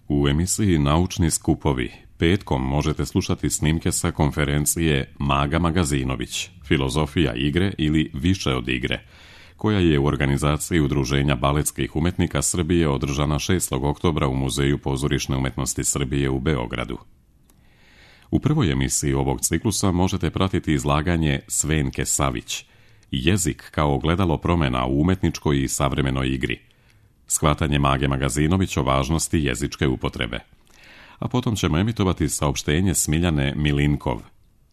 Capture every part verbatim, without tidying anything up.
U emisiji Naučni skupovi petkom možete slušati snimke sa konferencije Maga Magazinović, filozofija igre ili više od igre, koja je u organizaciji Udruženja baletskih umetnika Srbije održana šestog oktobra u Muzeju pozorišne umetnosti Srbije u Beogradu. U prvoj emisiji ovog ciklusa možete pratiti izlaganje Svenke Savić, Jezik kao ogledalo promjena u umetničkoj i savremenoj igri, shvatanje Mage Magazinović o važnosti jezičke upotrebe. A potom ćemo emitovati saopštenje Smiljane Milinkov,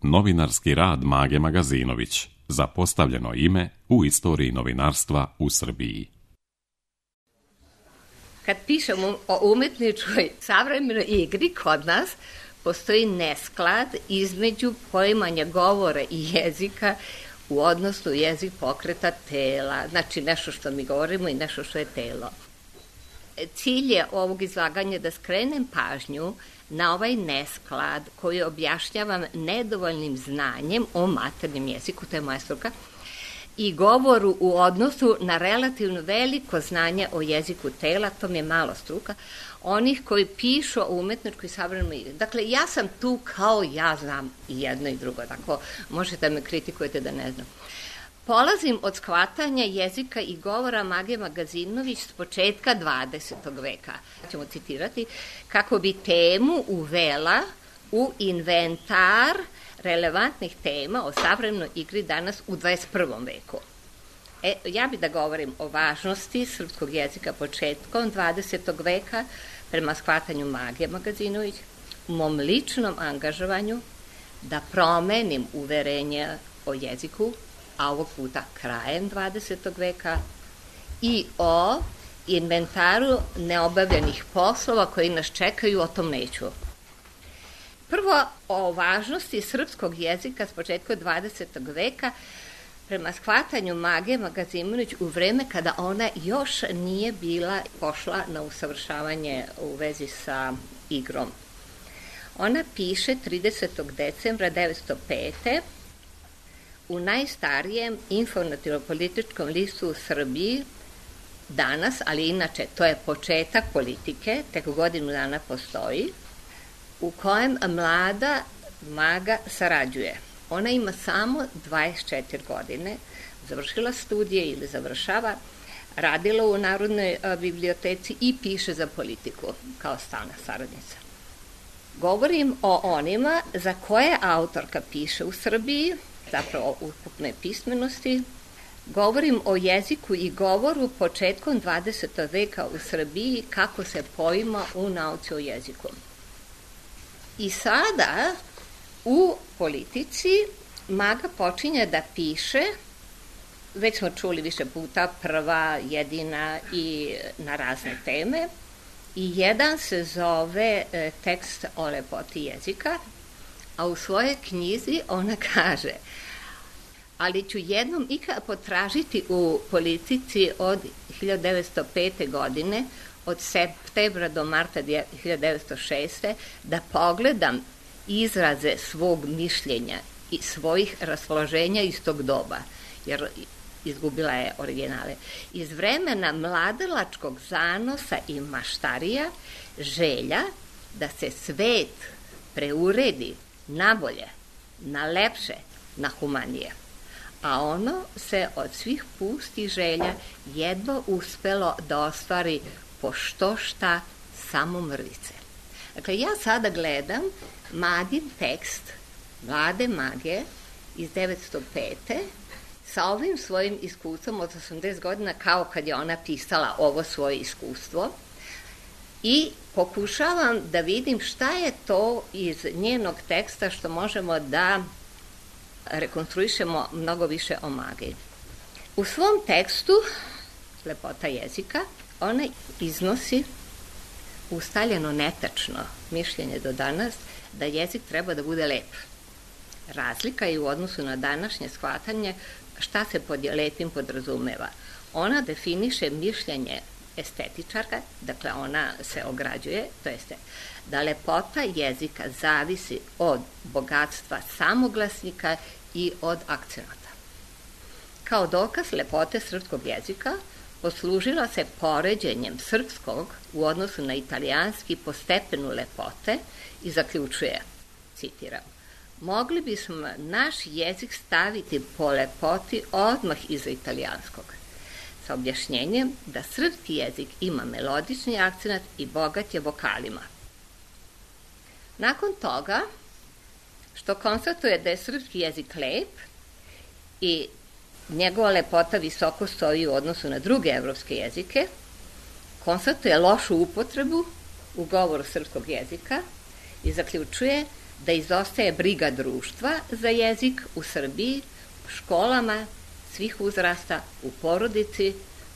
novinarski rad Mage Magazinović, zapostavljeno ime u istoriji novinarstva u Srbiji. Kad pišemo o umetničkoj savremenoj igri kod nas, postoji nesklad između poimanja govora i jezika u odnosu jezik pokreta tela, znači nešto što mi govorimo i nešto što je telo. Cilj je ovog izlaganja da skrenem pažnju na ovaj nesklad koji objašnjavam nedovoljnim znanjem o maternjem jeziku, to je moja struka, i govoru u odnosu na relativno veliko znanje o jeziku tela, to mi je malo struka, onih koji pišu o umetničkoj savremenoj igri. Dakle, ja sam tu kao ja znam i jedno i drugo, tako možete me kritikujete da ne znam. Polazim od shvatanja jezika i govora Mage Magazinović s početka dvadesetog veka. Ćemo citirati kako bi temu uvela u inventar relevantnih tema o savremenoj igri danas u dvadeset prvom veku. E, ja bih da govorim o važnosti srpskog jezika početkom dvadesetog veka prema shvatanju Mage Magazinović, u mom ličnom angažovanju da promenim uverenje o jeziku, a ovog puta krajem dvadesetog veka, i o inventaru neobavljenih poslova koji nas čekaju, o tom neću. Prvo, o važnosti srpskog jezika s početka dvadesetog veka prema shvatanju Mage Magazinović u vreme kada ona još nije bila pošla na usavršavanje u vezi sa igrom. Ona piše tridesetog decembra devetsto pete u najstarijem informativno-političkom listu u Srbiji danas, ali inače to je početak politike, tek godinu dana postoji, u kojem mlada Maga sarađuje. Ona ima samo dvadeset četiri godine, završila studije ili završava, radila u Narodnoj biblioteci i piše za politiku kao stalna saradnica. Govorim o onima za koje autorka piše u Srbiji, zapravo o ukupnoj pismenosti. Govorim o jeziku i govoru početkom dvadesetog veka u Srbiji, kako se poima u nauci o jeziku. I sada u politici Maga počinje da piše, već smo čuli više puta, prva, jedina i na razne teme, i jedan se zove e, tekst o lepoti jezika, a u svojoj knjizi ona kaže: ali ću jednom ikad potražiti u politici od hiljadu devetsto pete godine, od septembra do marta hiljadu devetsto šeste, da pogledam izraze svog mišljenja i svojih raspoloženja iz tog doba, jer izgubila je originale. Iz vremena mladalačkog zanosa i maštarija, želja da se svet preuredi na bolje, na lepše, na humanije. A ono se od svih pustih želja jedva uspelo da ostvari po što šta samo mrvice. Dakle, ja sada gledam Magin tekst Mlade Mage iz devetsto pete sa ovim svojim iskustvom od osamdeset godina, kao kad je ona pisala ovo svoje iskustvo, i pokušavam da vidim šta je to iz njenog teksta što možemo da rekonstruišemo mnogo više o Magi. U svom tekstu Lepota jezika ona iznosi ustaljeno netačno mišljenje do danas da jezik treba da bude lep. Razlika je u odnosu na današnje shvatanje šta se pod lepim podrazumeva. Ona definiše mišljenje estetičarka, dakle ona se ograđuje, to jeste da lepota jezika zavisi od bogatstva samoglasnika i od akcenata. Kao dokaz lepote srpskog jezika poslužila se poređenjem srpskog u odnosu na italijanski po stepenu lepote i zaključuje, citiram, mogli bismo naš jezik staviti po lepoti odmah iza italijanskog, sa objašnjenjem da srpski jezik ima melodični akcenat i bogat je vokalima. Nakon toga, što konstatuje da je srpski jezik lep i njegova lepota visoko stoji u odnosu na druge evropske jezike, konstatuje lošu upotrebu u govoru srpskog jezika i zaključuje da izostaje briga društva za jezik u Srbiji, u školama, svih uzrasta, u porodici,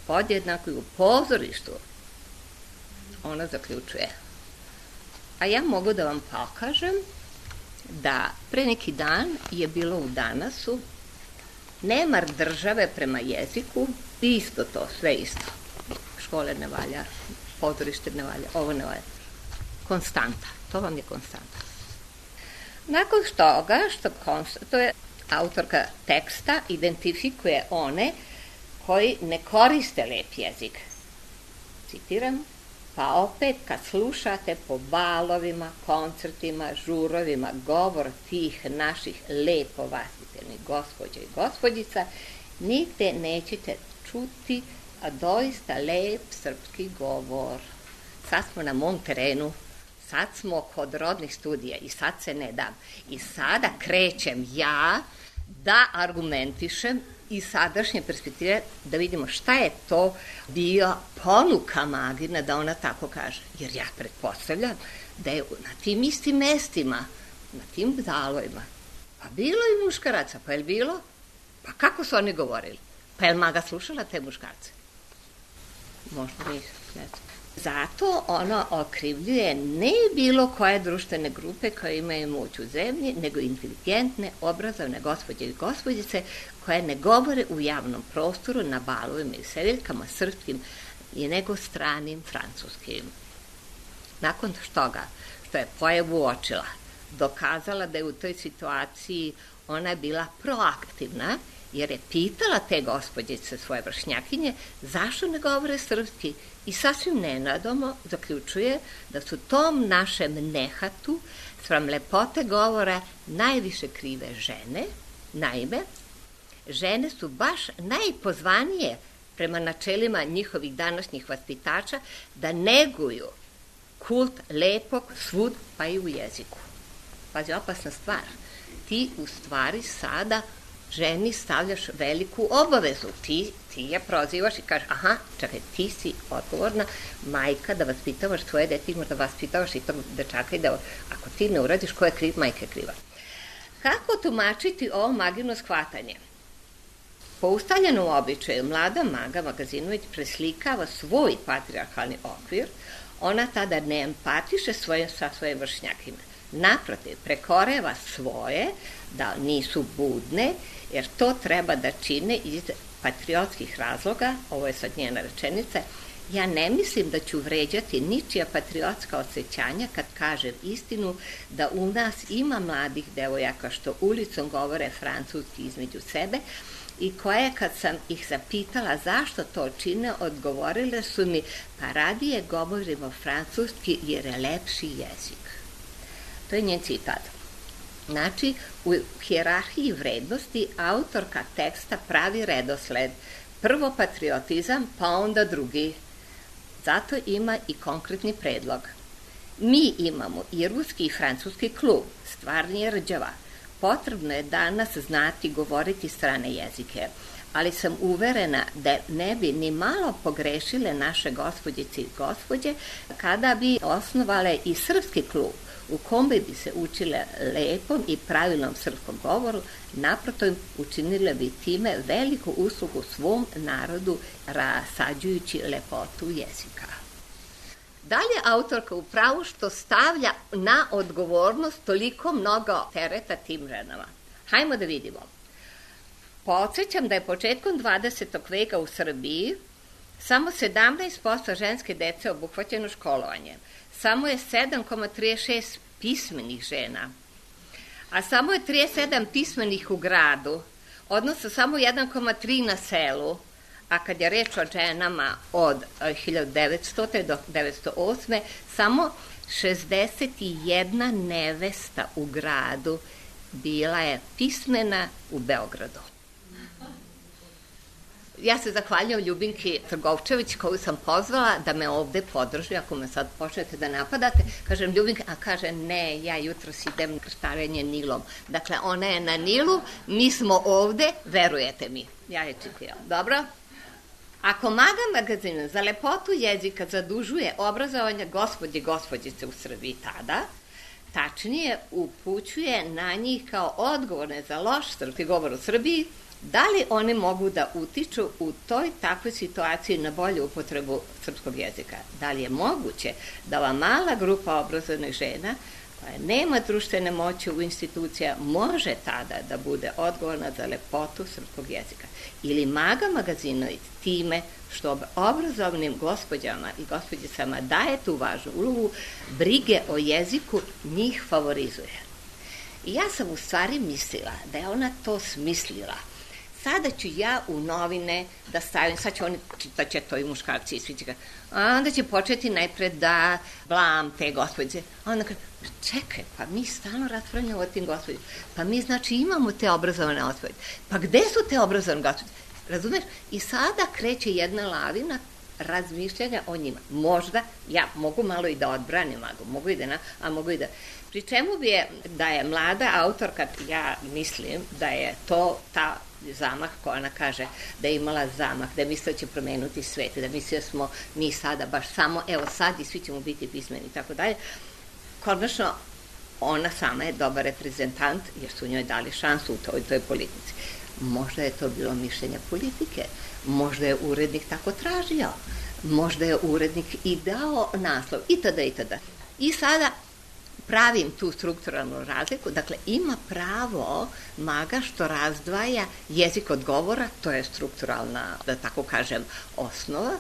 podjednako i u pozorištu. Ona zaključuje. A ja mogu da vam pokažem da pre neki dan je bilo u Danasu nemar države prema jeziku, isto to, sve isto. Škole ne valja, pozorište ne valja, ovo ne valja. Konstanta, to vam je konstanta. Nakon toga, što konstatuje, autorka teksta identifikuje one koji ne koriste lep jezik. Citiram, pa opet kad slušate po balovima, koncertima, žurovima govor tih naših lepo vaspitanih gospođa i gospođica, nigde nećete čuti a doista lep srpski govor. Sad smo na mom terenu, sad smo kod rodnih studija i sad se ne dam. I sada krećem ja da argumentišem iz sadašnje perspektive da vidimo šta je to bio ponuka Magina da ona tako kaže. Jer ja pretpostavljam da je na tim istim mestima, na tim dalovima, pa bilo i muškaraca, pa je li bilo? Pa kako su oni govorili? Pa je li Maga slušala te muškarce? Možda nisam, ne znam. Zato ona okrivljuje ne bilo koje društvene grupe koje imaju moć u zemlji, nego inteligentne, obrazovne gospođe i gospođice koje ne govore u javnom prostoru, na balovima i sedeljkama srpskim i nego stranim francuskim. Nakon toga što je pojavu uočila, dokazala da je u toj situaciji ona bila proaktivna, jer je pitala te gospođice, svoje vršnjakinje, zašto ne govore srpski i sasvim nenadomo zaključuje da su tom našem nehatu spram lepote govora najviše krive žene. Naime, žene su baš najpozvanije prema načelima njihovih današnjih vaspitača da neguju kult lepog svud pa i u jeziku. Pazi, opasna stvar. Ti u stvari sada ženi stavljaš veliku obavezu. Ti, ti je prozivaš i kažeš, aha, čekaj, ti si odgovorna majka da vaspitavaš svoje dete, možda vaspitavaš i tog dečaka i da ako ti ne uradiš, ko je kriv, majka je kriva. Kako tumačiti ovo Magino shvatanje? Po ustaljenom običaju, mlada Maga Magazinović preslikava svoj patrijarhalni okvir, ona tada ne empatiše svoje, sa svojim vršnjakima. Naprotiv, prekoreva svoje, da nisu budne, jer to treba da čine iz patriotskih razloga, ovo je sad njena rečenica, ja ne mislim da ću vređati ničija patriotska osjećanja kad kažem istinu da u nas ima mladih devojaka što ulicom govore francuski između sebe i koje kad sam ih zapitala zašto to čine, odgovorile su mi pa radije govorimo francuski jer je lepši jezik. To je njen citat. Znači, u hijerarhiji vrednosti autorka teksta pravi redosled. Prvo patriotizam, pa onda drugi. Zato ima i konkretni predlog. Mi imamo i ruski i francuski klub, stvar nije rđava. Potrebno je danas znati govoriti strane jezike, ali sam uverena da ne bi ni malo pogrešile naše gospođice i gospođe kada bi osnovale i srpski klub, u kom bi se učile lepom i pravilnom srpskom govoru, naprotiv učinile bi time veliku uslugu svom narodu rasađujući lepotu jezika. Dalje autorka u pravu što stavlja na odgovornost toliko mnogo tereta tim ženama. Hajmo da vidimo. Podsjećam da je početkom dvadesetog veka u Srbiji samo sedamnaest posto ženske dece obuhvaćeno školovanjem. Samo je sedam zarez trideset šest pismenih žena, a samo je trideset sedam pismenih u gradu, odnosno samo jedan zarez tri na selu, a kad je reč o ženama od hiljadu devetstotog. do devetsto osme. samo šezdeset jedna nevesta u gradu bila je pismena u Beogradu. Ja se zahvaljujem Ljubinki Trgovčević koju sam pozvala da me ovde podrži, ako me sad počnete da napadate. Kažem Ljubinka, a kaže ne, ja jutros idem krstarenje Nilom. Dakle, ona je na Nilu, mi smo ovde, verujete mi. Ja je čitila. Dobro? Ako Maga magazin za lepotu jezika zadužuje obrazovanje gospođe i gospođice u Srbiji tada, tačnije upućuje na njih kao odgovorne za loš srpski govor u Srbiji, da li one mogu da utiču u toj takvoj situaciji na bolju upotrebu srpskog jezika? Da li je moguće da ova mala grupa obrazovnih žena koja nema društvene moći u institucija može tada da bude odgovorna za lepotu srpskog jezika? Ili Maga magazinović time što obrazovnim gospođama i gospođicama daje tu važnu ulogu, brige o jeziku njih favorizuje? I ja sam u stvari mislila da je ona to smislila. Sada ću ja u novine da stavim, sad će oni, da će to i muškarci i svi će ga, a onda će početi najpred da blam te gospođe. A onda kaže, čekaj, pa mi stalno raspravljamo o tim gospođima. Pa mi znači imamo te obrazovane gospođe. Pa gde su te obrazovane gospođe? Razumeš? I sada kreće jedna lavina razmišljanja o njima. Možda, ja mogu malo i da odbranim, mogu i da, na, a mogu i da... Pri čemu bi je, da je mlada autorka, ja mislim da je to ta zamah koja ona kaže da je imala zamah, da je mislila će promenuti svet, da mislila smo mi sada baš samo, evo sad i svi ćemo biti pismeni i tako dalje. Konačno, ona sama je dobar reprezentant jer su njoj dali šansu u toj, toj politici. Možda je to bilo mišljenje politike, možda je urednik tako tražio, možda je urednik i dao naslov i tada i tada. I sada pravim tu strukturalnu razliku, dakle ima pravo Maga što razdvaja jezik od govora, to je strukturalna, da tako kažem, osnova.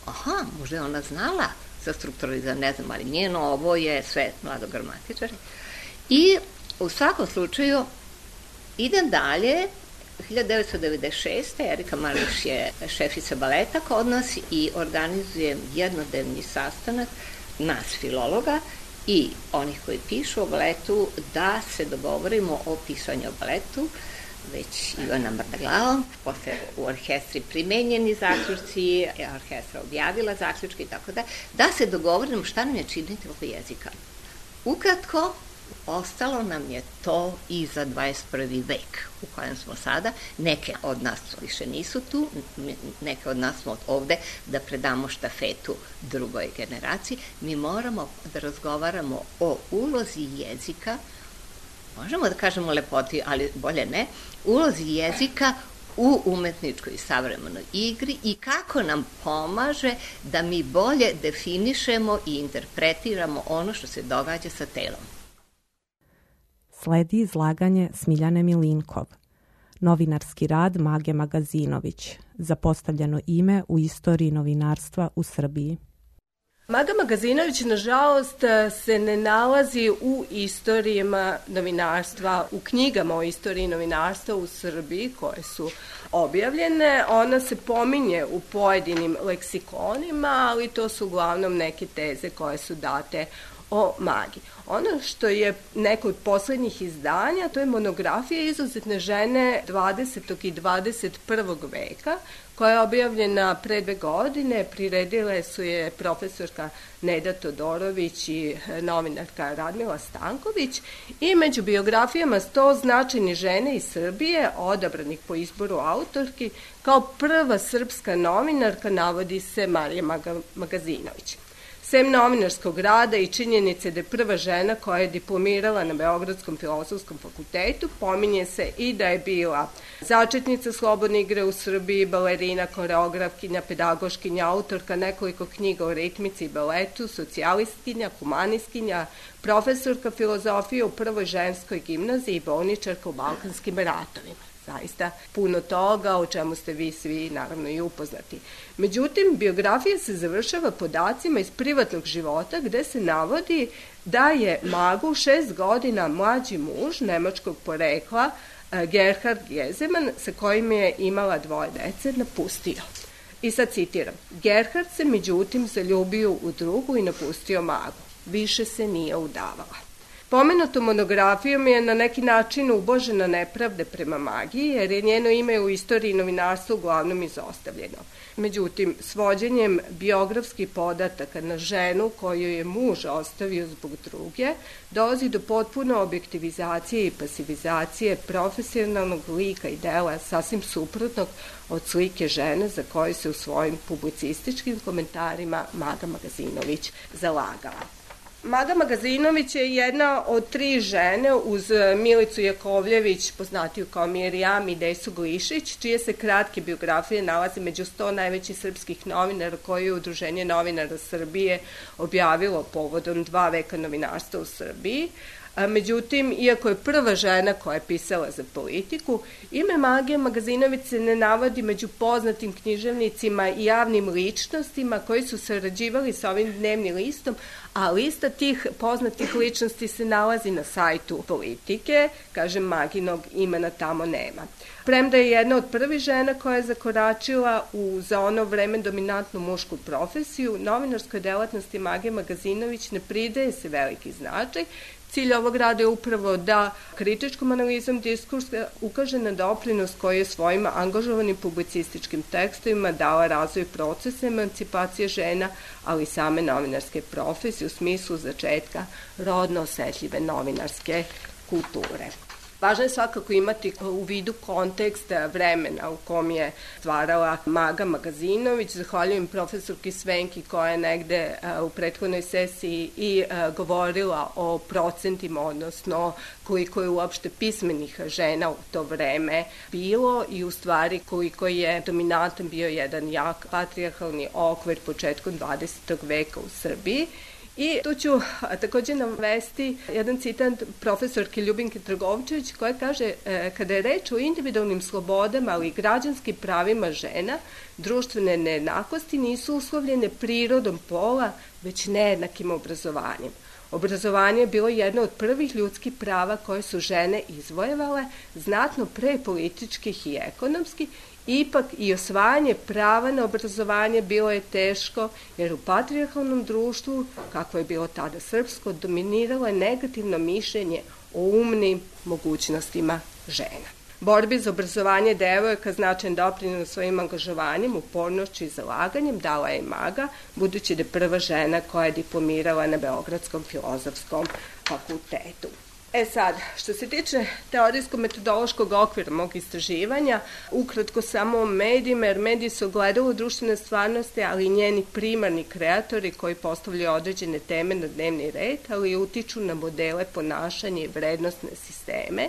Aha, možda je ona znala za strukturalizam, ne znam, ali njeno ovo je sve mladogramatičari. I u svakom slučaju idem dalje, hiljadu devetsto devedeset šeste. Erika Mališ je šefica baleta kod nas i organizujem jednodnevni sastanak nas filologa i onih koji pišu o baletu da se dogovorimo o pisanju o baletu, već Ivana Mrdaglavom, posle u orkestri primenjeni zaključci, orkestra objavila zaključke i tako da, da se dogovorimo šta nam je činiti oko jezika. Ukratko, ostalo nam je to i za dvadeset prvi vek u kojem smo sada. Neke od nas više nisu tu, neke od nas smo ovde da predamo štafetu drugoj generaciji. Mi moramo da razgovaramo o ulozi jezika, možemo da kažemo lepoti, ali bolje ne, ulozi jezika u umetničkoj i savremenoj igri i kako nam pomaže da mi bolje definišemo i interpretiramo ono što se događa sa telom. Sledi izlaganje Smiljane Milinkov, novinarski rad Mage Magazinović, zapostavljeno ime u istoriji novinarstva u Srbiji. Maga Magazinović, nažalost, se ne nalazi u istorijama novinarstva, u knjigama o istoriji novinarstva u Srbiji koje su objavljene. Ona se pominje u pojedinim leksikonima, ali to su uglavnom neke teze koje su date o Magi. Ono što je neko od poslednjih izdanja, to je monografija izuzetne žene dvadesetog i dvadeset prvog veka, koja je objavljena pre dve godine, priredile su je profesorka Neda Todorović i novinarka Radmila Stanković i među biografijama sto značajnih žene iz Srbije, odabranih po izboru autorki, kao prva srpska novinarka navodi se Marija Magazinović. Sem novinarskog rada i činjenice da je prva žena koja je diplomirala na Beogradskom filozofskom fakultetu, pominje se i da je bila začetnica slobodne igre u Srbiji, balerina, koreografkinja, pedagoškinja, autorka nekoliko knjiga o ritmici i baletu, socijalistkinja, humanistkinja, profesorka filozofije u prvoj ženskoj gimnaziji i bolničarka u Balkanskim ratovima. Zaista puno toga o čemu ste vi svi naravno i upoznati. Međutim, biografija se završava podacima iz privatnog života gde se navodi da je Magu šest godina mlađi muž nemačkog porekla Gerhard Gezeman, sa kojim je imala dvoje dece, napustio. I sad citiram: Gerhard se međutim zaljubio u drugu i napustio Magu. Više se nije udavala. Pomenutom monografijom je na neki način ubožena nepravde prema Magi, jer je njeno ime u istoriji novinarstva uglavnom izostavljeno. Međutim, svođenjem biografskih podataka na ženu koju je muž ostavio zbog druge, dolazi do potpuno objektivizacije i pasivizacije profesionalnog lika i dela sasvim suprotnog od slike žene za koju se u svojim publicističkim komentarima Maga Magazinović zalagala. Maga Magazinović je jedna od tri žene uz Milicu Jakovljević, poznatiju kao Mirjam, i Desu Glišić, čije se kratke biografije nalaze među sto najvećih srpskih novinara koje je Udruženje novinara Srbije objavilo povodom dva veka novinarstva u Srbiji. Međutim, iako je prva žena koja je pisala za politiku, ime Mage Magazinović se ne navodi među poznatim književnicima i javnim ličnostima koji su sarađivali sa ovim dnevnim listom, a lista tih poznatih ličnosti se nalazi na sajtu Politike, kažem, Maginog imena tamo nema. Premda je jedna od prvih žena koja je zakoračila u za ono vreme dominantnu mušku profesiju, novinarskoj delatnosti Mage Magazinović ne pridaje se veliki značaj. Cilj ovog rada je upravo da kritičkom analizom diskursa ukaže na doprinos koji je svojim angažovanim publicističkim tekstovima dala razvoj procesa emancipacije žena, ali i same novinarske profesije u smislu začetka rodno osetljive novinarske kulture. Važno je svakako imati u vidu kontekst vremena u kom je stvarala Maga Magazinović. Zahvaljujem profesorki Svenki koja je negde u prethodnoj sesiji i govorila o procentima, odnosno koliko je uopšte pismenih žena u to vreme bilo i u stvari koliko je dominantan bio jedan jak patrijarhalni okvir početkom dvadesetog veka u Srbiji. I tu ću takođe navesti jedan citat profesorke Ljubinke Trgovčević koja kaže: kada je reč o individualnim slobodama, ali i građanskim pravima žena, društvene nejednakosti nisu uslovljene prirodom pola, već nejednakim obrazovanjem. Obrazovanje je bilo jedno od prvih ljudskih prava koje su žene izvojevale, znatno pre političkih i ekonomskih. Ipak i osvajanje prava na obrazovanje bilo je teško, jer u patrijarhalnom društvu, kako je bilo tada srpsko, dominiralo je negativno mišljenje o umnim mogućnostima žena. Borbi za obrazovanje devojaka značajan doprinos svojim angažovanjem, upornošću i zalaganjem dala je Maga, budući da je prva žena koja je diplomirala na Beogradskom filozofskom fakultetu. E sad, što se tiče teorijsko-metodološkog okvira mog istraživanja, ukratko samo o medijima, jer mediji su ogledalo društvene stvarnosti, ali i njeni primarni kreatori koji postavljaju određene teme na dnevni red, ali i utiču na modele ponašanja i vrednostne sisteme.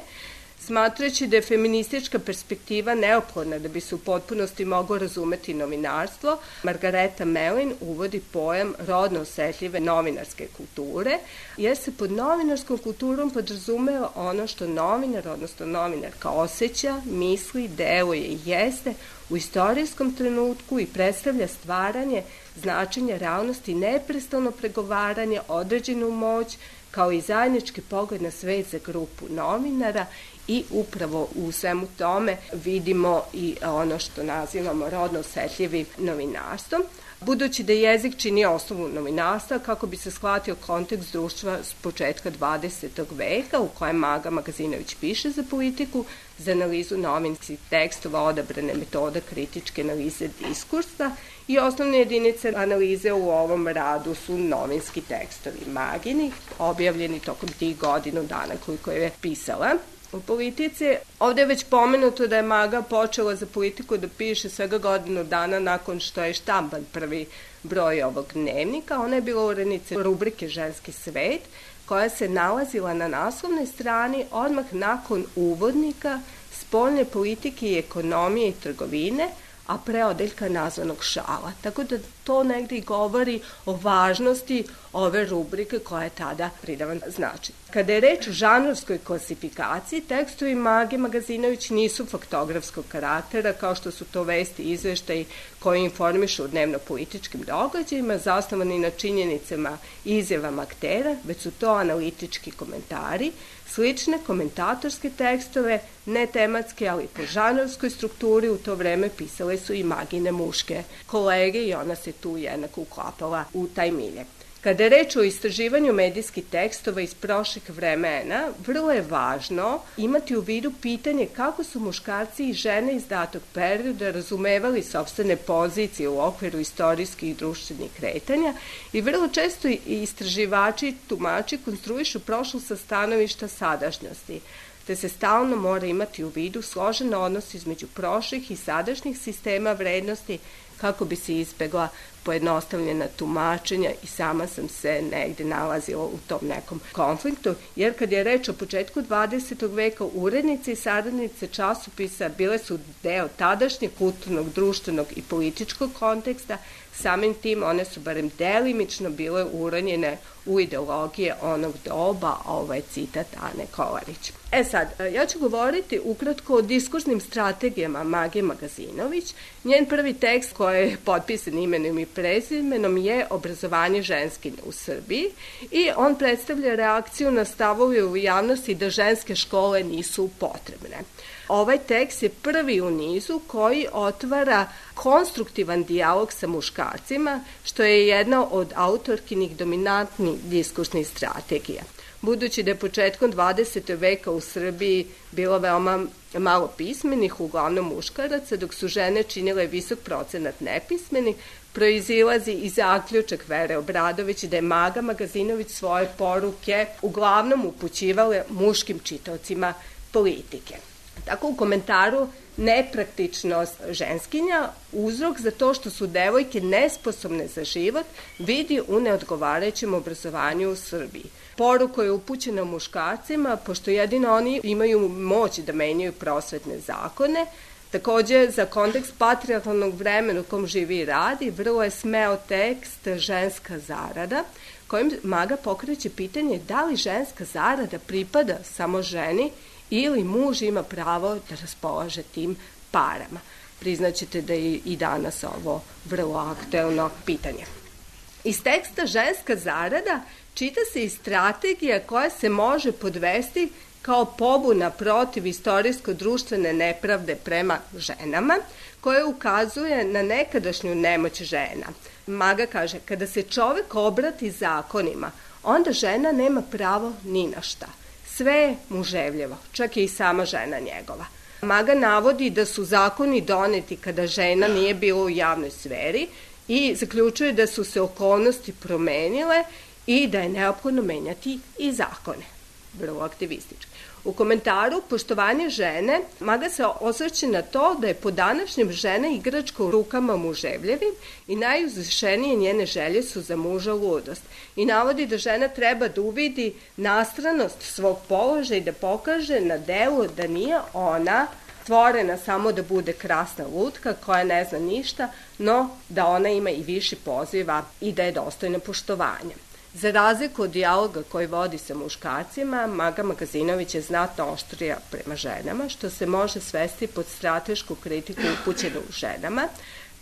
Smatrajući da je feministička perspektiva neophodna da bi se u potpunosti moglo razumeti novinarstvo, Margareta Melin uvodi pojam rodno osetljive novinarske kulture, jer se pod novinarskom kulturom podrazumeva ono što novinar, odnosno novinarka, osjeća, misli, deluje i jeste u istorijskom trenutku i predstavlja stvaranje značenja realnosti, neprestano pregovaranje, određenu moć, kao i zajednički pogled na svet za grupu novinara. I upravo u svemu tome vidimo i ono što nazivamo rodno osetljivim novinarstvom. Budući da jezik čini osnovu novinarstva, kako bi se shvatio kontekst društva s početka dvadesetog veka u kojem Maga Magazinović piše za politiku, za analizu novinskih tekstova odabrane metode kritičke analize diskursa i osnovne jedinice analize u ovom radu su novinski tekstovi Magini, objavljeni tokom tih godinu dana koliko je pisala u politici. Ovde je već pomenuto da je Maga počela za politiku da piše svega godinu dana nakon što je štampan prvi broj ovog dnevnika. Ona je bila urednica rubrike Ženski svet, koja se nalazila na naslovnoj strani odmah nakon uvodnika spoljne politike i ekonomije i trgovine, a pre odeljka nazvanog šala. Tako da to negdje govori o važnosti ove rubrike koja je tada pridavan značaj. Kada je reč o žanrovskoj klasifikaciji, tekstovi Mage Magazinović nisu faktografskog karaktera, kao što su to vesti i izveštaji koji informišu o dnevno-političkim događajima, zasnovani na činjenicama i izjavama aktera, već su to analitički komentari, slične komentatorske tekstove, ne tematske, ali po žanrovskoj strukturi u to vreme pisale su i Magine muške kolege i ona se tu jednako uklapala u taj milje. Kada je reč o istraživanju medijskih tekstova iz prošlih vremena, vrlo je važno imati u vidu pitanje kako su muškarci i žene iz datog perioda razumevali sopstvene pozicije u okviru istorijskih i društvenih kretanja i vrlo često i istraživači i tumači konstruišu prošlost sa stanovišta sadašnjosti, te se stalno mora imati u vidu složen odnos između prošlih i sadašnjih sistema vrednosti kako bi se izbegla pojednostavljena tumačenja i sama sam se negde nalazila u tom nekom konfliktu, jer kad je reč o početku dvadesetog veka, urednice i saradnice časopisa bile su deo tadašnjeg kulturnog, društvenog i političkog konteksta, samim tim one su barem delimično bile uranjene u ideologije onog doba, a ovo je citat Ane Kolarić. E sad, ja ću govoriti ukratko o diskursnim strategijama Mage Magazinović. Njen prvi tekst koji je potpisan imenom i prezimenom je Obrazovanje ženskinja u Srbiji i on predstavlja reakciju na stavove u javnosti da ženske škole nisu potrebne. Ovaj tekst je prvi u nizu koji otvara konstruktivan dijalog sa muškarcima, što je jedna od autorkinih dominantnih diskursnih strategija. Budući da je početkom dvadesetog veka u Srbiji bilo veoma malo pismenih, uglavnom muškaraca, dok su žene činile visok procenat nepismenih, proizilazi i zaključak Vere Obradović da je Maga Magazinović svoje poruke uglavnom upućivale muškim čitaocima politike. Tako u komentaru nepraktičnost ženskinja, uzrok za to što su devojke nesposobne za život, vidi u neodgovarajućem obrazovanju u Srbiji. Poruka je upućena muškarcima, pošto jedino oni imaju moć da menjaju prosvetne zakone. Takođe, za kontekst patrijarhalnog vremena u kom živi i radi, vrlo je smeo tekst Ženska zarada, kojim Maga pokreće pitanje da li ženska zarada pripada samo ženi ili muž ima pravo da raspolaže tim parama. Priznaćete da je i danas ovo vrlo aktuelno pitanje. Iz teksta Ženska zarada čita se i strategija koja se može podvesti kao pobuna protiv istorijsko-društvene nepravde prema ženama, koja ukazuje na nekadašnju nemoć žena. Maga kaže, kada se čovek obrati zakonima, onda žena nema pravo ni na šta. Sve je muževljevo, čak je i sama žena njegova. Maga navodi da su zakoni doneti kada žena nije bila u javnoj sferi i zaključuje da su se okolnosti promenile i da je neophodno menjati i zakone. Vrlo aktivistički. U komentaru Poštovanje žene, Maga se osvrće na to da je po današnjem žena igračka u rukama muževljevim i najuzvišenije njene želje su za muža ludost. I navodi da žena treba da uvidi nastranost svog položaja i da pokaže na delu da nije ona stvorena samo da bude krasna lutka koja ne zna ništa, no da ona ima i više poziva i da je dostojna poštovanja. Za razliku od dijaloga koji vodi sa muškarcima, Maga Magazinović je znatno oštrija prema ženama, što se može svesti pod stratešku kritiku upućenu ženama,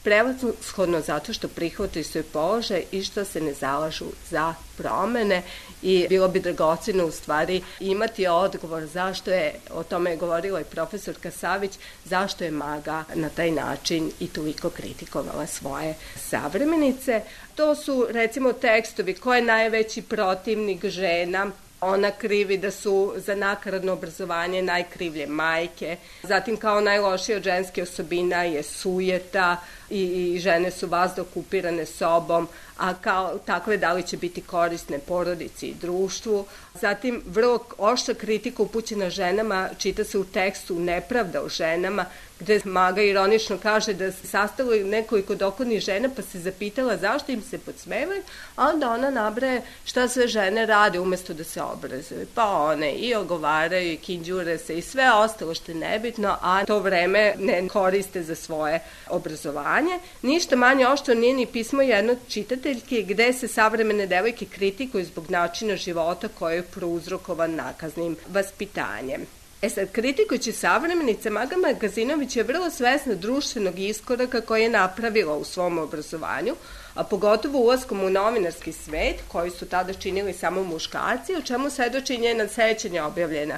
prevashodno zato što prihvataju svoj položaj i što se ne zalažu za promene i bilo bi dragoceno u stvari imati odgovor zašto je, o tome je govorila i profesorka Savić, zašto je Maga na taj način i toliko kritikovala svoje savremenice. To su recimo tekstovi ko je najveći protivnik žena. Ona krivi da su za nakaradno obrazovanje najkrivlje majke, zatim kao najlošija od ženske osobina je sujeta i, i žene su vazda okupirane sobom, a kao takve da li će biti korisne porodici i društvu. Zatim vrlo oštra kritika upućena ženama čita se u tekstu Nepravda o ženama, gde Maga ironično kaže da se sastalo nekoliko dokodnih žena pa se zapitala zašto im se podsmevaju, a onda ona nabraje šta sve žene rade umesto da se obrazuju. Pa one i ogovaraju i kinđure se i sve ostalo što je nebitno, a to vreme ne koriste za svoje obrazovanje. vaspitanje, ništa manje oštro nije ni pismo jedno čitateljke gde se savremene devojke kritikuju zbog načina života koji je prouzrokovan nakaznim vaspitanjem. E sad, kritikujući savremenica, Maga Magazinović je vrlo svesna društvenog iskoraka koji je napravila u svom obrazovanju, a pogotovo ulaskom u novinarski svet, koji su tada činili samo muškarci, o čemu svedoči njena sećanja objavljena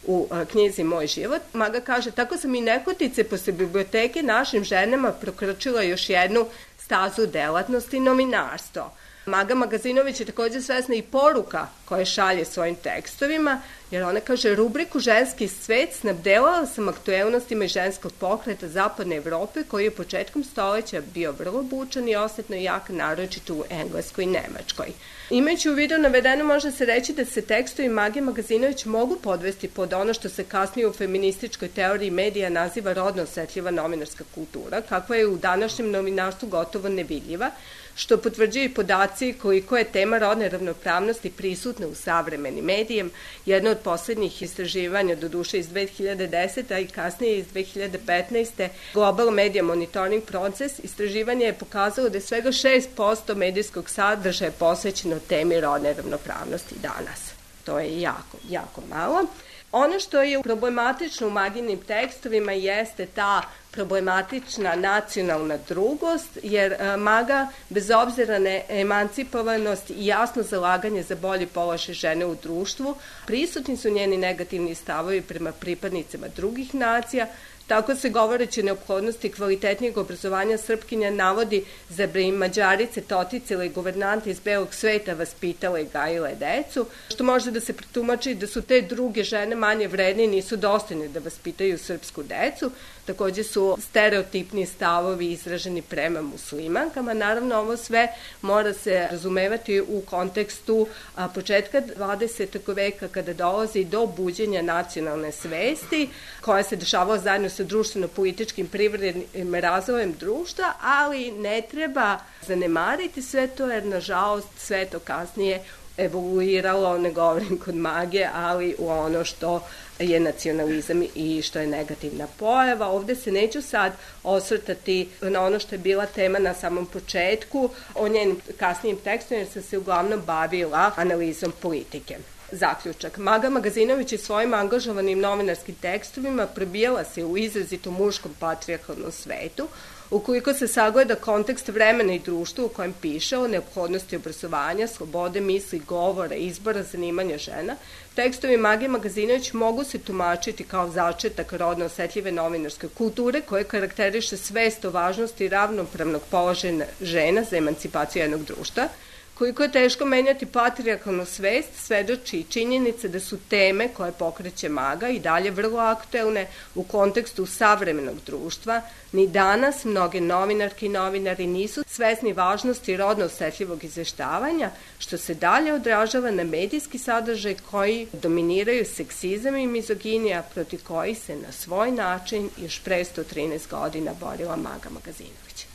u knjizi Moj život. Maga kaže, tako sam i nehotice posle biblioteke našim ženama prokrčila još jednu stazu delatnosti, novinarstvo. Maga Magazinović je takođe svesna i poruka koje šalje svojim tekstovima, jer ona kaže, rubriku Ženski svet snabdelala sam aktuelnostima iz ženskog pokreta Zapadne Evrope, koji je početkom stoleća bio vrlo bučan i osetno jak, naročito u Engleskoj i Nemačkoj. Imajući u vidu navedeno, može se reći da se tekstovi Mage Magazinović mogu podvesti pod ono što se kasnije u feminističkoj teoriji medija naziva rodno osetljiva novinarska kultura, kakva je u današnjem novinarstvu gotovo nevidljiva, što potvrđuju i podaci koliko je tema rodne ravnopravnosti prisutna u savremenim medijem. Jedno od poslednjih istraživanja, do duše iz dve hiljade desete. a i kasnije iz dve hiljade petnaeste. Global Media Monitoring Proces, istraživanje je pokazalo da je svega šest posto medijskog sadržaja posvećeno temi rodne ravnopravnosti danas. To je jako, jako malo. Ono što je problematično u Maginim tekstovima jeste ta problematična nacionalna drugost, jer Maga, bez obzira na emancipovanost i jasno zalaganje za bolji položaj žene u društvu, prisutni su njeni negativni stavovi prema pripadnicama drugih nacija. Tako se, govoreći o neophodnosti kvalitetnijeg obrazovanja, Srpkinja navodi za bi im Mađarice, toticile i guvernante iz belog sveta vaspitale i gajile decu, što može da se pretumači da su te druge žene manje vredne i nisu dostojne da vaspitaju srpsku decu. Takođe su stereotipni stavovi izraženi prema muslimankama. Naravno, ovo sve mora se razumevati u kontekstu a, početka dvadesetog veka, kada dolazi do buđenja nacionalne svesti, koja se dešavala zajedno sa društveno-političkim privrednim razvojem društva, ali ne treba zanemariti sve to, jer nažalost sve to kasnije evoluiralo, ne govorim kod Mage, ali u ono što je nacionalizam i što je negativna pojava. Ovde se neću sad osvrtati na ono što je bila tema na samom početku, o njenim kasnijim tekstovima, jer sam se uglavnom bavila analizom politike. Zaključak. Maga Magazinović je svojim angažovanim novinarskim tekstovima probijala se u izrazito muškom patrijarhalnom svetu. Ukoliko se sagleda kontekst vremena i društva u kojem piše o neophodnosti obrazovanja, slobode misli, govora, izbora, zanimanja žena, tekstovi Mage Magazinović mogu se tumačiti kao začetak rodno osetljive novinarske kulture koje karakteriše svest o važnosti ravnopravnog položaja žena za emancipaciju jednog društva. Koliko je teško menjati patrijarhalnu svest, svedoči i činjenica da su teme koje pokreće Maga i dalje vrlo aktuelne u kontekstu savremenog društva. Ni danas mnoge novinarke i novinari nisu svesni važnosti rodno osetljivog izveštavanja, što se dalje odražava na medijski sadržaj koji dominiraju seksizam i mizoginija, protiv koji se na svoj način još pre sto trinaest godina borila Maga Magazinović.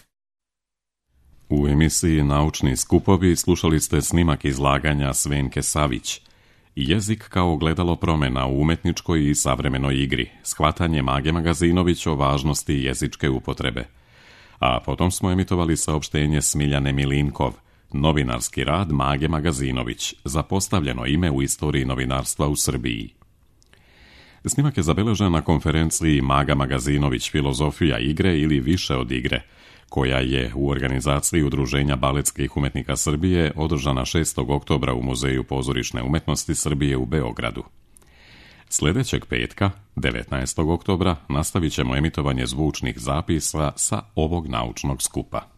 U emisiji Naučni skupovi slušali ste snimak izlaganja Svenke Savić. Jezik kao ogledalo promena u umetničkoj i savremenoj igri, shvatanje Mage Magazinović o važnosti jezičke upotrebe. A potom smo emitovali saopštenje Smiljane Milinkov, novinarski rad Mage Magazinović, zapostavljeno ime u istoriji novinarstva u Srbiji. Snimak je zabeležen na konferenciji Maga Magazinović filozofija igre ili više od igre, koja je u organizaciji Udruženja baletskih umetnika Srbije održana šestog oktobra u Muzeju pozorišne umetnosti Srbije u Beogradu. Sljedećeg petka, devetnaestog oktobra, nastavit ćemo emitovanje zvučnih zapisa sa ovog naučnog skupa.